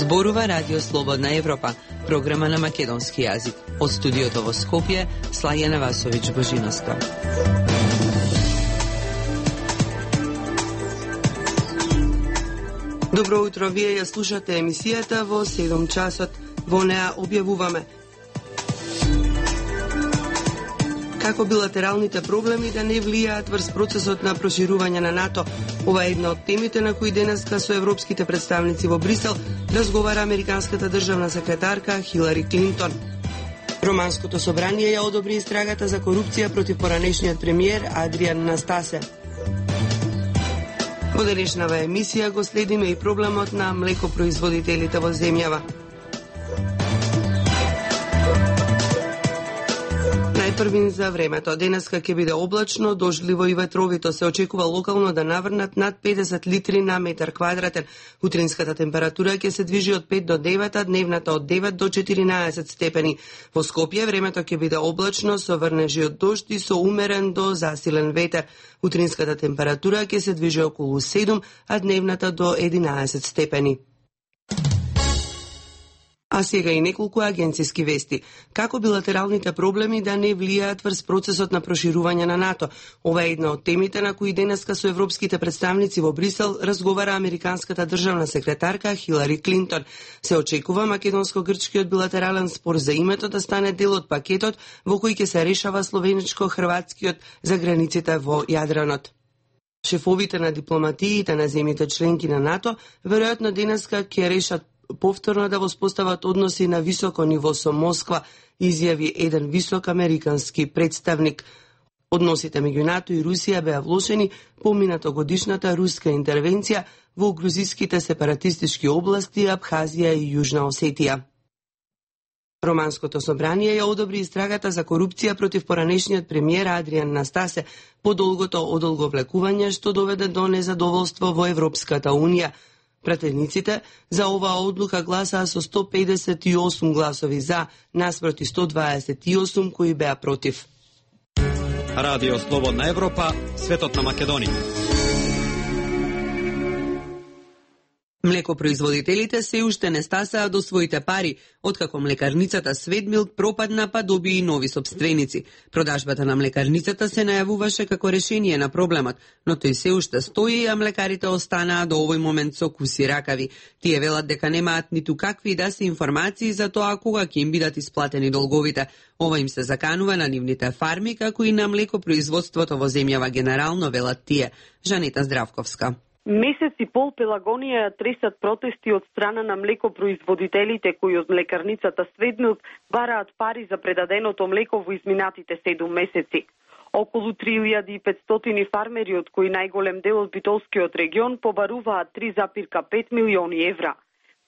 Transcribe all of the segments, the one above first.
Зборува Радио Слободна Европа, програма на македонски јазик. Од студиото во Скопје, Слајана Васовиќ Божиновска. Добро утро, вие ја слушате емисијата во 7 часот. Во неа објавуваме како билатералните проблеми да не влијаат врз процесот на проширување на НАТО. Ова е една од темите на кои денеска со европските представници во Брисел разговара американската државна секретарка Хилари Клинтон. Романското собрание ја одобри истрагата за корупција против поранешниот премиер Адриан Настасе. Во денешнава емисија го следиме и проблемот на млекопроизводителите во земјава. Најпрвин за времето. Денеска ќе биде облачно, дождливо и ветровито. Се очекува локално да наврнат над 50 литри на метар квадратен. Утринската температура ќе се движи од 5 до 9, а дневната од 9 до 14 степени. Во Скопје времето ќе биде облачно со врнежи од дожд и со умерен до засилен ветер. Утринската температура ќе се движи околу 7, а дневната до 11 степени. А сега и неколку агенциски вести. Како билатералните проблеми да не влијаат врз процесот на проширување на НАТО? Ова е една од темите на кои денеска со европските представници во Брисел разговара американската државна секретарка Хилари Клинтон. Се очекува македонско-грчкиот билатерален спор за името да стане дел од пакетот во кој ќе се решава словеничко-хрватскиот за границите во Јадранот. Шефовите на дипломатиите на земјите членки на НАТО веројатно денеска ќе решат повторно да воспостават односи на високо ниво со Москва, изјави еден висок американски представник. Односите меѓу НАТО и Русија беа влошени по минатогодишната руска интервенција во грузиските сепаратистички области Абхазија и Јужна Осетија. Романското собрание ја одобри истрагата за корупција против поранешниот премиер Адриан Настасе по долгото одолговлекување што доведе до незадоволство во Европската Унија. Пратениците за оваа одлука гласаа со 158 гласови за, наспроти 128 кои беа против. Радио Слободна Европа, светот на Македонија. Млекопроизводителите се уште не стасаа до своите пари, откако млекарницата Светмилк пропадна па доби и нови собственици. Продажбата на млекарницата се најавуваше како решение на проблемот, но тој се уште стои, а млекарите останаа до овој момент со куси ракави. Тие велат дека немаат ниту какви да се информации за тоа кога ќе им бидат исплатени долговите. Ова им се заканува на нивните фарми, како и на млекопроизводството во земјава генерално, велат тие. Жанета Здравковска. Месец и пол Пелагонија ја тресат протести од страна на млекопроизводителите кои од млекарницата Светмилк бараат пари за предаденото млеко во изминатите 7 месеци. Околу 3500 фармери, од кои најголем дел од битолскиот регион, побаруваат 3,5 милиони евра.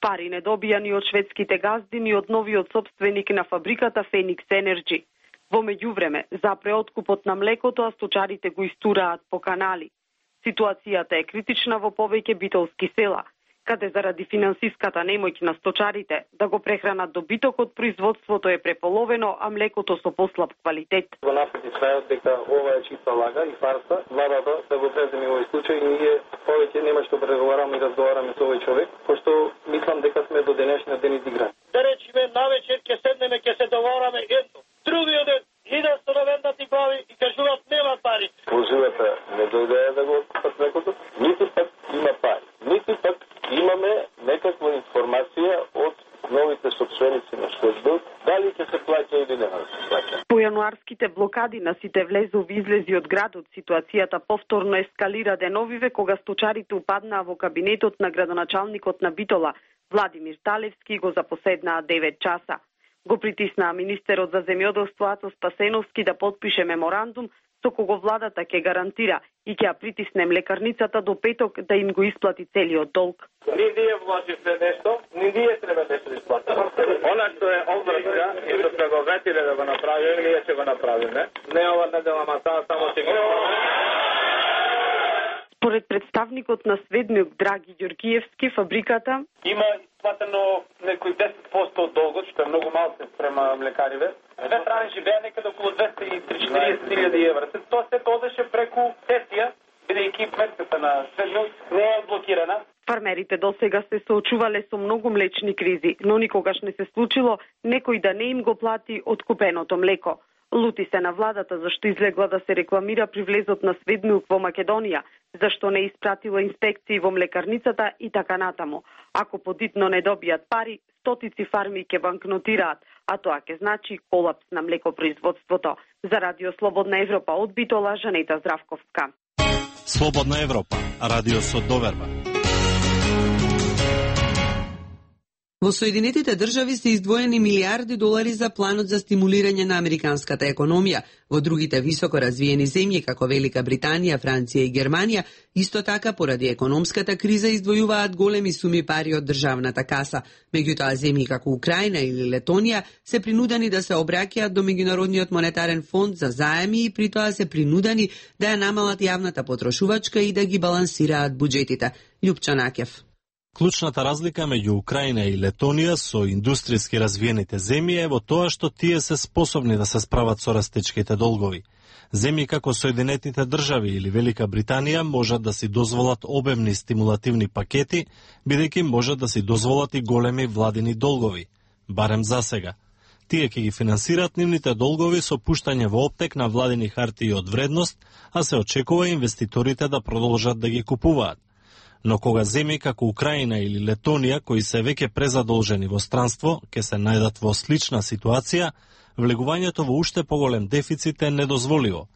Пари не добијани од шведските газди ни од новиот собственик на фабриката Феникс Енерджи. Во меѓувреме, запре откупот на млекото, а сточарите го истураат по канали. Ситуацијата е критична во повеќе битолски села, каде заради финансиската немоќ на сточарите да го прехранат добитокот, производството е преполовено, а млекото со послаб квалитет. Во напреди крајот дека ова е чиста лага и фарса, владата да го преземе овој случај, ние повеќе нема што преговараме и разговараме со овој човек, пошто мислам дека сме до денешниот ден изиграни. Да речеме навечер ќе седнеме, ќе се договораме едно, другиот ден иде со навендати глави и кажуваат нема пари. Возилата не дојдеа да го откупат млекото, ниту пак има пари. Ниту пак имаме некаква информација од новите собственици на Светмилк, дали ќе се плаќа или нема да се плаќа. По јануарските блокади на сите влезови излези од градот, ситуацијата повторно ескалира деновиве кога сточарите упаднаа во кабинетот на градоначалникот на Битола, Владимир Талевски, и го запоседнаа 9 часа. Го притиснаа министерот за земјоделство Ацо Спасеновски да подпише меморандум со кого владата ќе гарантира и ќе ја притисне млекарницата до петок да им го исплати целиот долг. Ни ние вложивме нешто, ни ние треба нешто да исплатиме. Она што е обврска и што сме го ветиле да го направиме, ние ќе го направиме. Не ова недела масаа, само ќе го Според представникот на Светмилк Драги Ѓоргиевски, фабриката има исплатено некои 10% од долгот, што е многу малку спрема млекариве. Две страни живее некаде околу 230.000 евра. Тоа се одеше преку сесија, бидејќи сметката на Светмилк не е блокирана. Фармерите досега се соочувале со многу млечни кризи, но никогаш не се случило некој да не им го плати откупеното млеко. Лути се на владата зашто излегла да се рекламира при влезот на сведмилк во Македонија, зашто не испратила инспекции во млекарницата и така натаму. Ако подитно не добијат пари, стотици фарми ќе банкнотираат, а тоа ќе значи колапс на млекопроизводството. За Радио Слободна Европа од Битола, Жанета Здравковска. Слободна Европа, радио со доверба. Во Соединетите држави се издвоени милиарди долари за планот за стимулирање на американската економија. Во другите високо развиени земји, како Велика Британија, Франција и Германија, исто така поради економската криза издвојуваат големи суми пари од државната каса. Меѓутоа, земји како Украина или Летонија се принудени да се обраќаат до Меѓународниот монетарен фонд за заеми и при тоа се принудени да ја намалат јавната потрошувачка и да ги балансираат буџетите. Љупчо Наќев. Клучната разлика меѓу Украина и Летонија со индустријски развиените земји е во тоа што тие се способни да се справат со растечките долгови. Земји како Соединетите држави или Велика Британија можат да си дозволат обемни стимулативни пакети, бидејќи можат да си дозволат и големи владини долгови, барем за сега. Тие ќе ги финансираат нивните долгови со пуштање во оптек на владини хартии од вредност, а се очекува инвеститорите да продолжат да ги купуваат. Но кога земји како Украина или Летонија, кои се веќе презадолжени во странство, ќе се најдат во слична ситуација, влегувањето во уште поголем дефицит е недозволиво.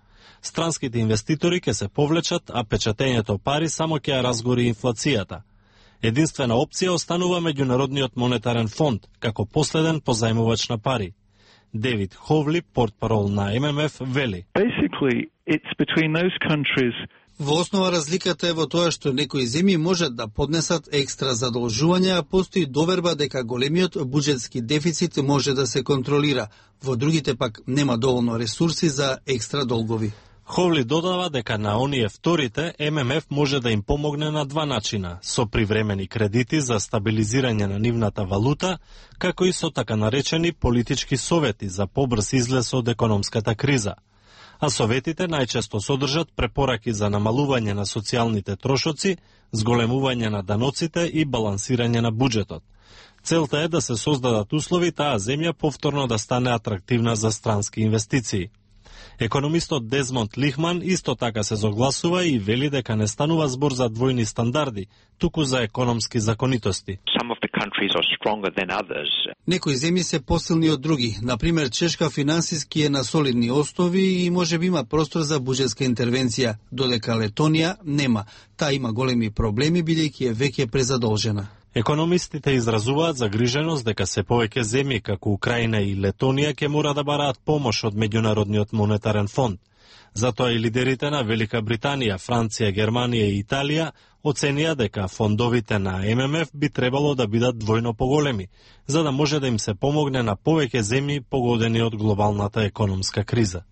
Странските инвеститори ќе се повлечат, а печатењето пари само ќе ја разгори инфлацијата. Единствена опција останува Меѓународниот монетарен фонд, како последен позајмувач на пари. Девид Ховли, портпарол на ММФ, вели: Basically, it's between those countries. Во основа разликата е во тоа што некои земји можат да поднесат екстра задолжувања, а постои доверба дека големиот буџетски дефицит може да се контролира. Во другите пак нема доволно ресурси за екстра долгови. Ховли додава дека на оние вторите ММФ може да им помогне на два начина, со привремени кредити за стабилизирање на нивната валута, како и со така наречени политички совети за побрз излез од економската криза. А советите најчесто содржат препораки за намалување на социјалните трошоци, зголемување на даноците и балансирање на буџетот. Целта е да се создадат услови таа земја повторно да стане атрактивна за странски инвестиции. Економистот Дезмонд Лихман исто така се согласува и вели дека не станува збор за двојни стандарди, туку за економски законитости. Некои земји се посилни од други. Например, Чешка финансиски е на солидни основи и можеби има простор за буџетска интервенција, додека Летонија нема. Таа има големи проблеми бидејќи е веќе презадолжена. Економистите изразуваат загриженост дека се повеќе земји како Украина и Летонија ќе мора да бараат помош од Меѓународниот монетарен фонд. Затоа и лидерите на Велика Британија, Франција, Германија и Италија оценија дека фондовите на ММФ би требало да бидат двојно поголеми, за да може да им се помогне на повеќе земји погодени од глобалната економска криза.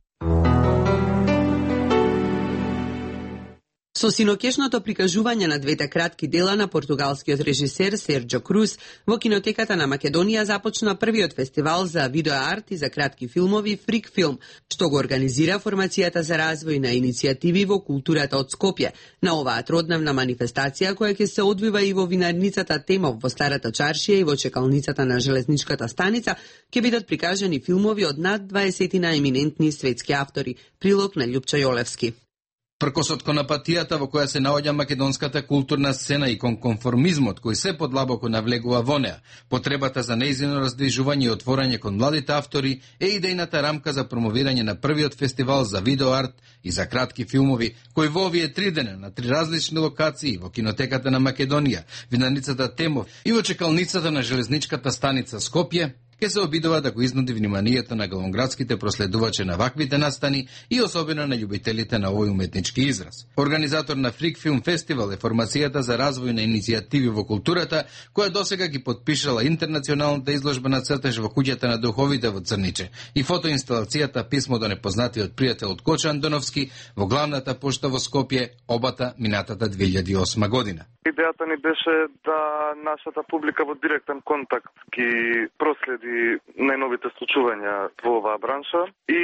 Со синокешното прикажување на двете кратки дела на португалскиот режисер Серджо Круз во кинотеката на Македонија започна првиот фестивал за видеоарт и за кратки филмови Фрик Филм, што го организира Формацијата за развој на иницијативи во културата од Скопје. На оваа тродневна манифестација, која ќе се одвива и во винарницата Темов во Старата чаршија и во чекалницата на железничката станица, ќе бидат прикажани филмови од над 20 еминентни светски автори. Прилог на Љупчо Јолевски. Пркосот кон апатијата во која се наоѓа македонската културна сцена и кон конформизмот кој се подлабоко навлегува во неа, потребата за нејзино раздвижување и отворање кон младите автори е идејната рамка за промовирање на првиот фестивал за видеоарт и за кратки филмови, кој во овие 3 дена на 3 различни локации во кинотеката на Македонија, винарницата Темов и во чекалницата на железничката станица Скопје, ќе се обидува да го изнуди вниманието на главноградските проследувачи на ваквите настани и особено на љубителите на овој уметнички израз. Организатор на Фрик Филм Фестивал е Формацијата за развој на иницијативи во културата, која досега ги подпишала интернационалната изложба на цртеж во куќата на духовите во Црниче и фотоинсталацијата Писмо до непознатиот пријател од Кочо Андоновски во главната пошта во Скопје, обата минатата 2008 година. Идејата ни беше да нашата публика во директен контакт ги проследи најновите случувања во оваа бранша и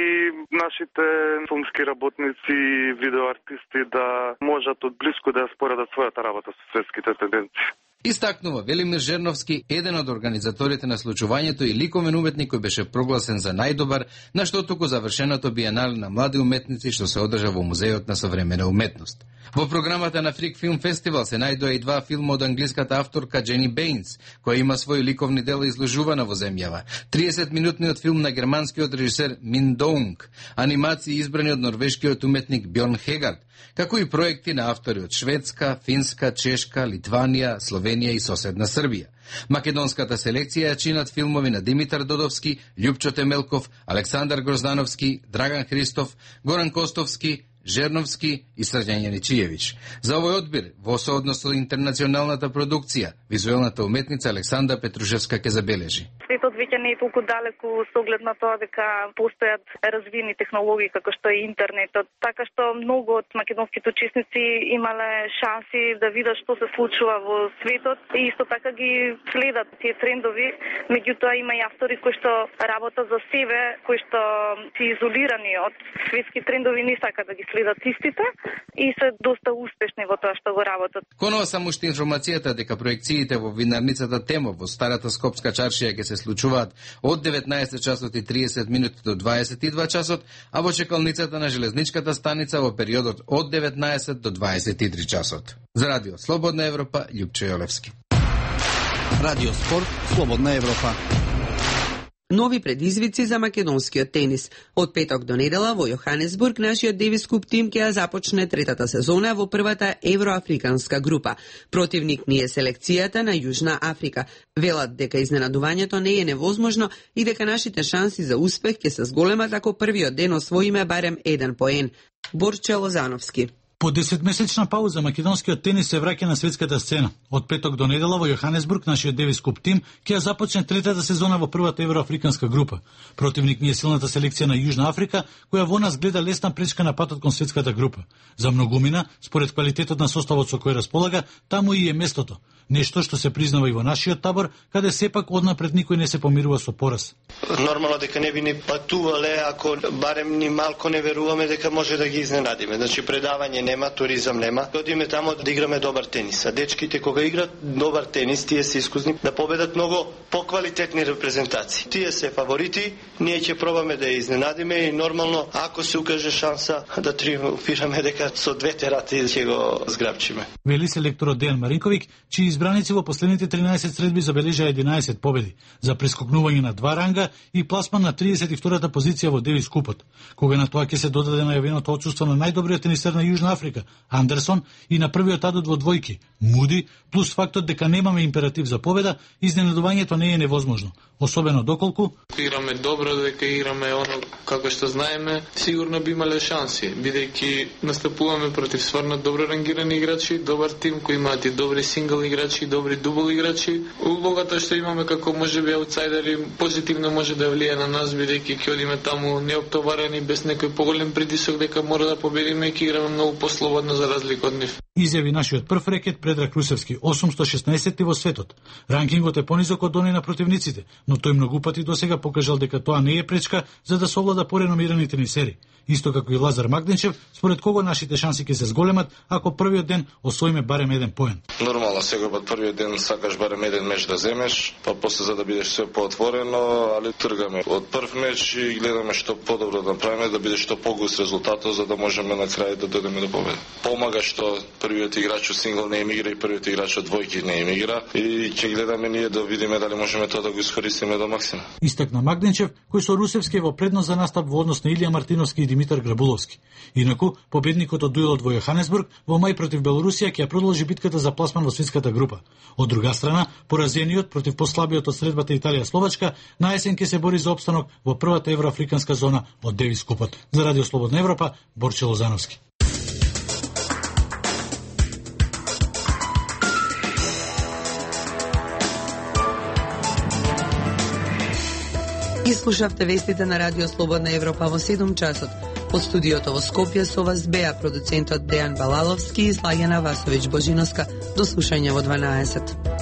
нашите филмски работници и видеоартисти да можат од блиску да ја споредат својата работа со светските тенденции. Истакнува Велимир Жерновски, еден од организаторите на случувањето и ликовен уметник кој беше прогласен за најдобар на што току завршеното биенале на млади уметници што се одржа во Музеот на современа уметност. Во програмата на Фрик Филм Фестивал се најдоа и два филма од англиската авторка Джени Бейнс, која има свои ликовни дела изложувана во земјава. 30-минутниот филм на германскиот режисер Мин Доунг, анимации избрани од норвешкиот уметник Бьорн Хегард, како и проекти на автори од Шведска, Финска, Чешка, Литванија, Словенија и соседна Србија. Македонската селекција ја чинат филмови на Димитар Додовски, Љупчо Темелков, Александар Гроздановски, Драган Христов, Горан Костовски, Жерновски и Срđan Јаничиевич. За овој одбир, во сооднос со интернационалната продукција, визуелната уметница Александра Петрушевска ќе забележи. Светот веќе не е толку далеку со оглед на тоа дека постојат развиени технологии како што е интернетот, така што многу од македонските учесници имале шанси да видат што се случува во светот и исто така ги следат тие трендови, меѓутоа има и автори кои што работат за себе, кои што се изолирани од светски трендови, не сакаат да ги следат истите и се доста успешни во тоа што го работат. Конова само уште информацијата дека проекциите во винарницата Темо во старата Скопска чаршија ќе се случуваат од 19 часот и 30 минути до 22 часот, а во чекалницата на железничката станица во периодот од 19 до 23 часот. За Радио Слободна Европа, Љупчо Јолевски. Радио Спорт, Слободна Европа. Нови предизвици за македонскиот тенис. Од петок до недела во Јоханесбург нашиот Девис Куп тим ќе ја започне третата сезона во првата евроафриканска група. Противник ни е селекцијата на Јужна Африка. Велат дека изненадувањето не е невозможно и дека нашите шанси за успех ќе се зголемат ако првиот ден освоиме барем 1 поен. Борче Лозановски. По 10-месечна пауза македонскиот тенис се враќа на светската сцена. Од петок до недела во Јоханесбург нашиот Девис Куп тим ќе ја започне третата сезона во првата евроафриканска група. Противник ни е силната селекција на Јужна Африка, која во нас гледа лесна пречка на патот кон светската група. За многумина, според квалитетот на составот со кој располага, таму и е местото. Нешто што се признава и во нашиот табор, каде сепак однапред никој не се помирува со пораз. Нормално дека не би ни патувале ако барем ни малку не веруваме дека може да ги изненадиме. Значи предавање нема, туризам нема. Одиме таму да играме добар тенис. А дечките кога играат добар тенис, тие се искусни да победат многу поквалитетни репрезентации. Тие се фаворити, ние ќе пробаме да ја изненадиме и нормално ако се укаже шанса да триумфираме дека со двете рати ќе го зграбчиме. Вели селекторот Дејан Маринковиќ, чии избраници во последните 13 средби забележаа 11 победи, за прескокнување на 2 ранга и пласман на 32-та позиција во Девис Купот. Кога на тоа ќе се додаде најавеното отсуство на најдобриот тенисер на Јужна Африка, Андерсон, и на првиот адут во двојки, Муди, плюс фактот дека немаме императив за победа, изненадувањето не е невозможно. Особено доколку играме добро, дека играме оно како што знаеме, сигурно би имале шанси, бидејќи настапуваме против стварно добро рангирани играчи, добар тим кој имаат и добри сингл играчи и добри дубл играчи. Улогата што имаме како можеби аутсайдери позитивно може да влие на нас, бидејќи ќе одиме таму неоптоварени без некој поголем притисок дека мора да победиме и ќе играме многу послободно за разлика од нив. Изјави нашиот прв рекет Предраг Русевски, 816 во светот. Ранкингот е понизок од оној на противниците, но тој многу пати досега покажал дека тоа не е пречка за да совлада пореномирани тенисери. Исто како и Лазар Магденчев, според кого нашите шанси ќе се зголемат ако првиот ден освоиме барем 1 поен. Нормално, секој пат првиот ден сакаш барем 1 меч да земеш, па после за да бидеш се поотворено, али тргаме од прв меч и гледаме што подобро да направиме, да биде што погус резултатот за да можеме на крај да дојдеме до победа. Помага што првиот играч од сингл не им игра и првиот играч од двојки не им игра и ќе гледаме ние да видиме дали можеме тоа да го искористиме до максимум. Истакна Магденчев, кој со Русевски е во предност за настап во однос на Илија Мартиновски и Димитар Грабуловски. Инаку, победникот од дуелот во Јоханесбург во мај против Белорусија ќе продолжи битката за пласман во светската група. Од друга страна, поразениот против послабиот од средбата Италија-Словачка, на есен ќе се бори за опстанок во првата евроафриканска зона од Девис Купот. За Радио Слободна Европа, Борче Лозановски. И слушавте вестите на Радио Слободна Европа во 7 часот. Од студиото во Скопје со вас беа продуцентот Дејан Балаловски и Слагена Васовиќ Божиновска. До слушање во 12.